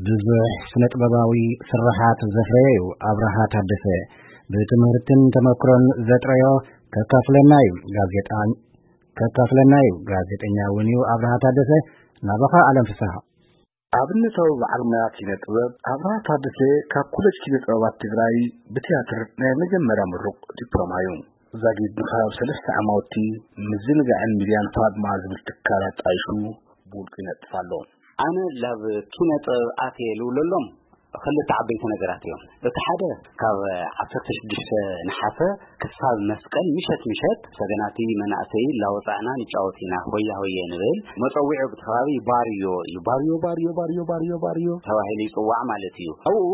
ብዙሕ ስነ ጥበባዊ ስርሓት ዘፍረየ እዩ ኣብርሃ ታደሰ። ብትምህርትን ተመክሮን ዘጥረዮ ከካፍለና እዩ ጋዜጣ-፣ ከካፍለና እዩ። ጋዜጠኛ እውን እዩ ኣብርሃ ታደሰ። ናባኻ ኣለም ፍስሃ። ኣብነታዊ በዓል ሞያ ኪነ ጥበብ ኣብርሃ ታደሰ ካብ ኮሌጅ ኪነ ጥበባት ትግራይ ብትያትር ናይ መጀመርያ ምሩቕ ዲፕሎማ እዩ። ዛጊድ ንከባቢ ሰለስተ ዓማውቲ ምዝንጋዕን ሚድያን ፋድማ ዝብል ትካል ኣጣይሹ ብውልቁ ይነጥፍ ኣሎ። ኣነ ላብ ኪነ ጥበብ ኣትየ ልብለሎም ክልተ ዓበይቲ ነገራት እዮም። እቲ ሓደ ካብ ዓሰርተ ሽዱሽተ ነሓሰ ክሳብ መስቀል ምሸት ምሸት ሰገናቲ መናእሰይ ላወፃእና ንጫወት ኢና፣ ሆያ ሆየ ንብል። መፀዊዒ ብቲ ከባቢ ባርዮ እዩ። ባርዮ፣ ባርዮ፣ ባርዮ፣ ባርዮ፣ ባርዮ ተባሂሉ ይፅዋዕ ማለት እዩ። ኣብኡ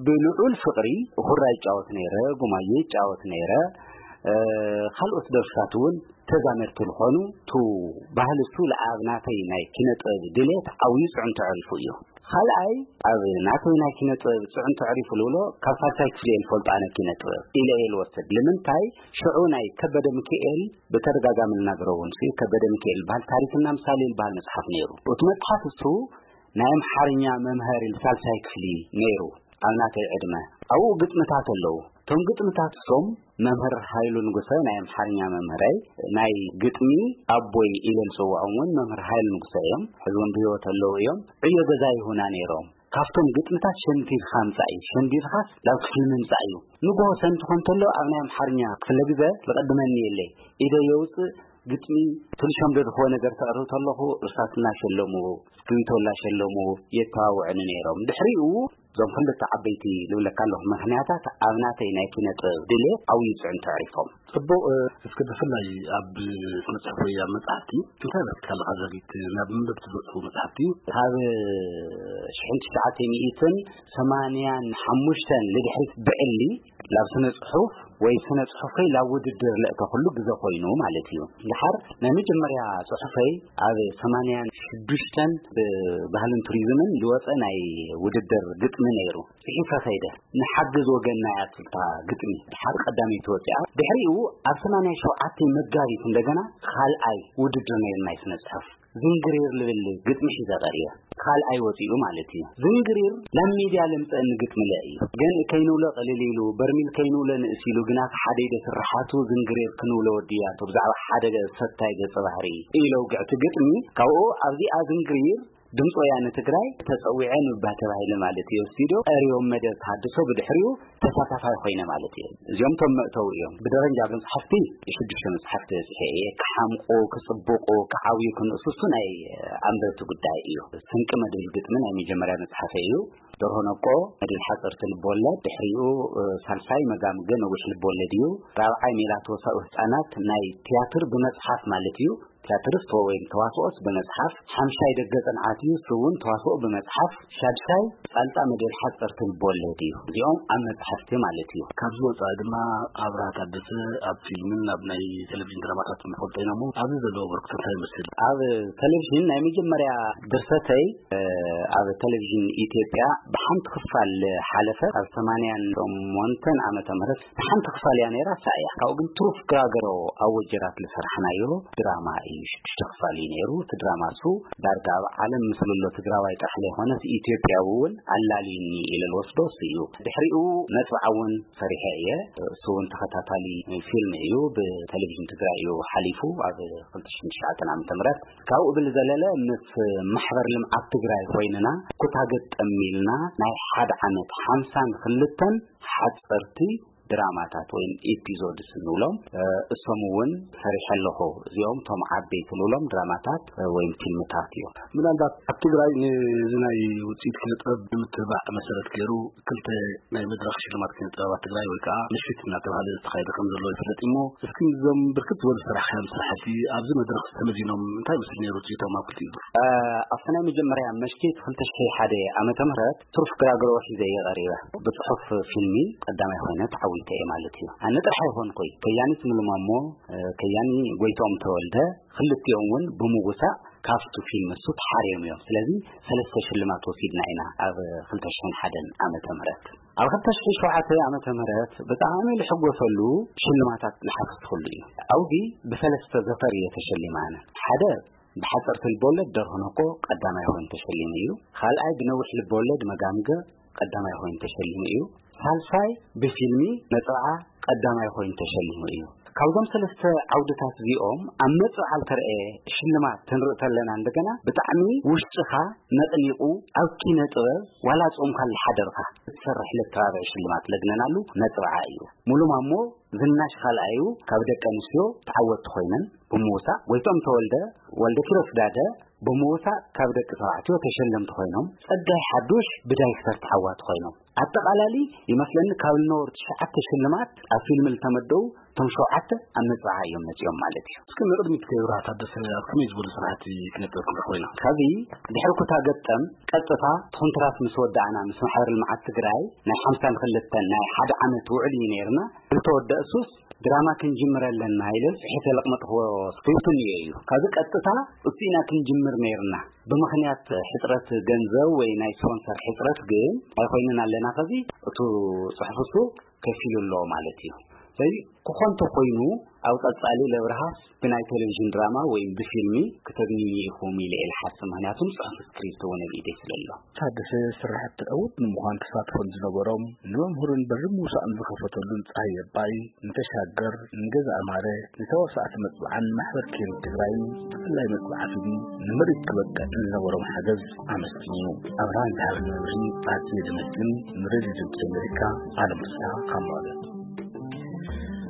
ብልዑል ፍቕሪ ሁራ ይጫወት ነይረ፣ ጉማየ ይጫወት ነይረ። እ፣ ካልኦት ደርፍታት እውን ተዛመድቲ ዝኾኑ፣ ቱ ባህሊ እሱ ለኣብ ናተይ ናይ ኪነ ጥበብ ድሌት ዓብዩ ፅዕንቶ ዕሪፉ እዩ። ካልኣይ ኣብ ናተይ ናይ ኪነ ጥበብ ፅዕንቶ ዕሪፉ ልብሎ ካብ ሳልሳይ ክፍሊ እየ ልፈልጦ ኣነ ኪነ ጥበብ ኢለ እየ ልወስድ። ልምንታይ ሽዑ ናይ ከበደ ሚካኤል ብተደጋጋሚ ልናገሮ እውን ሲ ከበደ ሚካኤል በሃል ታሪክና ምሳሌ ልበሃል መፅሓፍ ነይሩ። እቲ መፅሓፍ እሱ ናይ ኣምሓርኛ መምሃሪ ልሳልሳይ ክፍሊ ነይሩ። ኣብ ናተይ ዕድመ ኣብኡ ግጥምታት ኣለዉ። እቶም ግጥምታት እሶም መምህር ሃይሉ ንጉሰ ናይ ኣምሓርኛ መምህረይ ናይ ግጥሚ ኣቦይ ኢለ ዝፅውዖም እውን መምህር ሃይሉ ንጉሰ እዮም። ሕዚ እውን ብህይወት ኣለዉ እዮም። ዕዮ ገዛ ይሁና ነይሮም። ካብቶም ግጥምታት ሸንዲድካ ምፃእ እዩ። ሸንዲድካስ ናብ ክፍሊ ምምፃእ እዩ። ንግሆ ሰንቲ ኮን ተሎ ኣብ ናይ ኣምሓርኛ ክፍለ ግዘ ዝቐድመኒ የለይ። ኢደ የውፅእ ግጥሚ ትንሾም ደድኽዎ ነገር ተቕርብ ተለኹ እርሳስ እናሸለሙ፣ እስክሪብቶ እናሸለሙ የተባብዑኒ ነይሮም። ድሕሪኡ እዞም ክልተ ዓበይቲ ልብለካ ኣለኹ ምኽንያታት ኣብ ናተይ ናይ ኪነ ጥበብ ድሌት ዓብዩ ፅዕንቶ ኣዕሪፎም። ጽቡቕ፣ እ፣ እስከ ብፍላይ ኣብ ስነ ጽሑፍ ወይ ኣብ መጽሓፍቲ እንታይ ረኺብካ ኣለኻ ዘጊት? ናብ መንበብቲ ዝበጽሑ መጽሓፍቲ? ካብ ሽሕን ትሽዓተ ሚእትን ሰማንያን ሓሙሽተን ልድሕሪት ብዕሊ ላብ ስነ ጽሑፍ ወይ ስነ ጽሑፍ ከይ ላብ ውድድር ለእተ ኩሉ ግዘ ኮይኑ ማለት እዩ። ድሓር ናይ መጀመርያ ጽሑፈይ ኣብ ሰማንያን ሽዱሽተን ብባህልን ቱሪዝምን ዝወጸ ናይ ውድድር ግጥሚ ነይሩ። ጽሒፈ ከይደ ንሓግዝ ወገንና እያ ትብል እታ ግጥሚ። ድሓር ቀዳመይቲ ወጺኣ። ድሕሪኡ ኣብ ሰማንያ ሸውዓተ መጋቢት እንደገና ካልኣይ ውድድር ነይሩ ናይ ስነ ጽሑፍ። ዝንግሪር ልብል ግጥሚ ሒዘ ቀሪበ። ካልኣይ ወጺኡ ማለት እዩ። ዝንግሪር ናብ ሚድያ ለምጸእኒ ግጥሚ ለ እዩ። ገንኢ ከይንውሎ ቅልል ኢሉ፣ በርሚል ከይንውሎ ንእስ ኢሉ፣ ግና ሓደ ኢደ ስርሓቱ ዝንግሪር ክንውሎ ወድያቶ ብዛዕባ ሓደ ሰታይ ገጸ ባህሪ ኢለ ውግዕቲ ግጥሚ። ካብኡ ኣብዚኣ ዝንግሪር ድምፂ ወያነ ትግራይ ተፀዊዐ ንባ ተባሂለ ማለት እዩ። ስቱዲዮ ቀሪቦም መደብ ተሃድሶ ብድሕሪኡ ተሳታፋይ ኮይነ ማለት እዩ። እዚኦም ቶም መእተው እዮም። ብደረጃ መፅሓፍቲ ሽዱሽተ መፅሓፍቲ በፂሐ እየ። ክሓምቁ፣ ክፅብቁ፣ ክዓብዩ፣ ክንእስሱ ናይ ኣንበብቲ ጉዳይ እዩ። ስንቂ መድብል ግጥሚ ናይ መጀመርያ መፅሓፈ እዩ። ደርሆ ነቆ መድብል ሓፀርቲ ልብወለድ፣ ድሕሪኡ፣ እ፣ ሳልሳይ መጋምገ ነዊሕ ልብወለድ እዩ። ራብዓይ ሜላቶ ሳኡ ህፃናት ናይ ትያትር ብመፅሓፍ ማለት እዩ። ትያትርስ ወይም ተዋስኦስ ብመጽሓፍ፣ ሓምሻይ ደገ ጽንዓት እዩ፣ እሱ እውን ተዋስኦ ብመጽሓፍ፣ ሻድሻይ ጻልጣ መደል ሓጸርቲ ልቦለድ እዩ። እዚኦም ኣብ መጽሓፍቲ ማለት እዩ። ካብዚ ወጻኢ ድማ ኣብርሃ ታደሰ ኣብ ፊልምን ኣብ ናይ ቴሌቪዥን ድራማታት ንፈልጦ ኢና እሞ፣ ኣብዚ ዘለዎ ኣበርክቶ እንታይ ይመስል? ኣብ ቴሌቪዥን ናይ መጀመርያ ድርሰተይ፣ እ፣ ኣብ ቴሌቪዥን ኢትዮጵያ ብሓንቲ ክፋል ሓለፈ። ኣብ ሰማንያን ሸሞንተን ዓመተ ምህረት ንሓንቲ ክፋል እያ ነይራ፣ እሳ እያ። ካብኡ ግን ትሩፍ ግራገሮ ኣብ ወጀራት ዝሰርሓናዮ ድራማ እዩ። ሽዱሽተ ክፋል እዩ ነይሩ። እቲ ድራማ እሱ ዳርጋ ኣብ ዓለም ምስልሎ ትግራዋይ ጥራሕ ዘይኮነስ ኢትዮጵያዊ እውን ኣላልዩኒ ኢለ ዝወስዶ እሱ እዩ። ድሕሪኡ ነጥቢ ዓውን ሰሪሐ እየ። እሱ እውን ተኸታታሊ ፊልም እዩ። ብቴሌቪዥን ትግራይ እዩ ሓሊፉ ኣብ ክልተ ሽሕን ትሽዓተን ዓመተ ምህረት። ካብኡ ብዝዘለለ ምስ ማሕበር ልምዓት ትግራይ ኮይንና ኩታ ገጠም ኢልና ናይ ሓደ ዓመት ሓምሳን ክልተን ሓፀርቲ ድራማታት ወይም ኤፒዞድስ እንብሎም፣ እ፣ እሶም እውን ሰሪሐ ኣለኹ። እዚኦም እቶም ዓበይቲ ንብሎም ድራማታት፣ እ፣ ወይም ፊልምታት እዮም። ምናልባት ኣብ ትግራይ ነዚ ናይ ውፅኢት ኪነ ጥበብ ንምትብባዕ መሰረት ገይሩ ክልተ ናይ መድረኽ ሽልማት ኪነ ጥበባት ትግራይ ወይ ከዓ ምሽት እናተባህለ ዝተኻየደ ከም ዘሎ ይፍለጥ እሞ፣ እስኪ እዞም ብርክት ዝበሉ ስራሕካዮም ስራሕቲ ኣብዚ መድረኽ ተመዚኖም እንታይ ይመስል ነይሩ ውፅኢቶም ኣብ ክልቲኡ ዙር? እ፣ ኣብቲ ናይ መጀመርያ መሽት ክልተ ሽሕን ሓደን ዓመተ ምህረት ትሩፍ ግራግሮ ሒዘ እየ ቀሪበ። ብጽሑፍ ፊልሚ ቀዳማይ ኮይነ ተዓዊተ እየ ማለት እዩ። ኣነ ጥራሕ ኣይኮንኩይ፣ ከያኒት ሙሉ ማሞ፣ እ፣ ከያኒ ጎይትኦም ተወልደ፣ ክልቲኦም እውን ብምውሳእ ካብቱ ፊልም እሱ ተሓርዮም እዮም። ስለዚ ሰለስተ ሽልማት ወሲድና ኢና ኣብ ክልተ ሽሕን ሓደን ዓመተ ምህረት። ኣብ ክልተ ሽሕን ሸውዓተን ዓመተ ምህረት ብጣዕሚ ልሕጎሰሉ ሽልማታት ልሓፈስኩሉ እዩ። ኣብዚ ብሰለስተ ዘፈር እየ ተሸሊመ ኣነ። ሓደ ብሓፀርቲ ልቦለድ ደርሆ ነኮ ቀዳማይ ኮይኑ ተሸሊሙ እዩ። ካልኣይ ብነዊሕ ልቦለድ መጋምገ ቀዳማይ ኮይኑ ተሸሊሙ እዩ። ሳልሳይ ብፊልሚ ነፅብዓ ቀዳማይ ኮይኑ ተሸሊሙ እዩ። ካብዞም ሰለስተ ዓውድታት እዚኦም ኣብ መፅብዓ ዝተረኤ ሽልማት ክንርኢ ተለና እንደገና ብጣዕሚ ውሽጥኻ ነቕኒቑ ኣብ ኪነ ጥበብ ዋላ ጾምካ ልሓደርካ ክትሰርሕ ለተባብዕ ሽልማት ለግነናሉ መፅብዓ እዩ። ሙሉ ማሞ ዝናሽ ካልኣዩ ካብ ደቂ ኣንስትዮ ተዓወትቲ ኮይነን ብምውሳእ፣ ጎይቶም ተወልደ፣ ወልደ ኪሮስ ዳደ ብምውሳእ ካብ ደቂ ተባዕትዮ ተሸለምቲ ኮይኖም፣ ጸጋይ ሓዱሽ ብዳይክተር ተዓዋቲ ኮይኖም። ኣጠቓላሊ ይመስለኒ ካብ ልነበሩ ትሽዓተ ሽልማት ኣብ ፊልም ልተመደቡ እቶም ሸውዓተ ኣብ መጽዓ እዮም መጺኦም ማለት እዩ። እስኪ ንቕድሚት ከይብርሃ ታደሰ ኣብ ከመይ ዝበሉ ስራሕቲ ክነጥበኩም ኮይና? ካብዚ ድሕሪ ኩታ ገጠም ቀጥታ ኮንትራት ምስ ወዳእና ምስ ማሕበር ልምዓት ትግራይ ናይ ሓምሳን ክልተን ናይ ሓደ ዓመት ውዕል እዩ ነይርና። ዝተወደእሱስ ድራማ ክንጅምር ኣለና ኢለ ጽሒፈ ለቕመጥክዎ ስክሪፕት እኒኦ እዩ። ካብዚ ቀጥታ እሱ ኢና ክንጅምር ነይርና። ብምኽንያት ሕጽረት ገንዘብ ወይ ናይ ስፖንሰር ሕጽረት ግን ኣይኮይንን ኣለና። ከዚ እቱ ጽሑፍ እሱ ከፊሉ ኣሎ ማለት እዩ። ስለዚ ክኾን ተኾይኑ ኣብ ቀጻሊ ለብርሃስ ብናይ ቴሌቪዥን ድራማ ወይ ብፊልሚ ክተግንዩ ኢኹም ኢለ እየ ዝሓስብ። ምኽንያቱም ጽሑፍ ስክሪፕት እውን ኣብ ኢደይ ስለ ኣሎ። ታደሰ ስራሕቲ ዕዉት ንምዃን ተሳትፎን ዝነበሮም ንመምህሩን በሪ ምውሳእን ዝኸፈተሉን ፀሃይ ኣባይ፣ ንተሻገር፣ ንገዛ ኣማረ፣ ንተዋሳእቲ መፅብዓን ማሕበር ኪን ትግራይን ብፍላይ መፅብዓ ፊልም ንምርኢት ክበቅዕ ንዝነበሮም ሓገዝ ኣመስጊኑ። ኣብርሃም ዝሃበኒ መብርሂ ኣዝየ ዘመስግን። ንሬድዮ ድምፂ ኣሜሪካ ኣለም ፍስሃ ካብ መቐለ።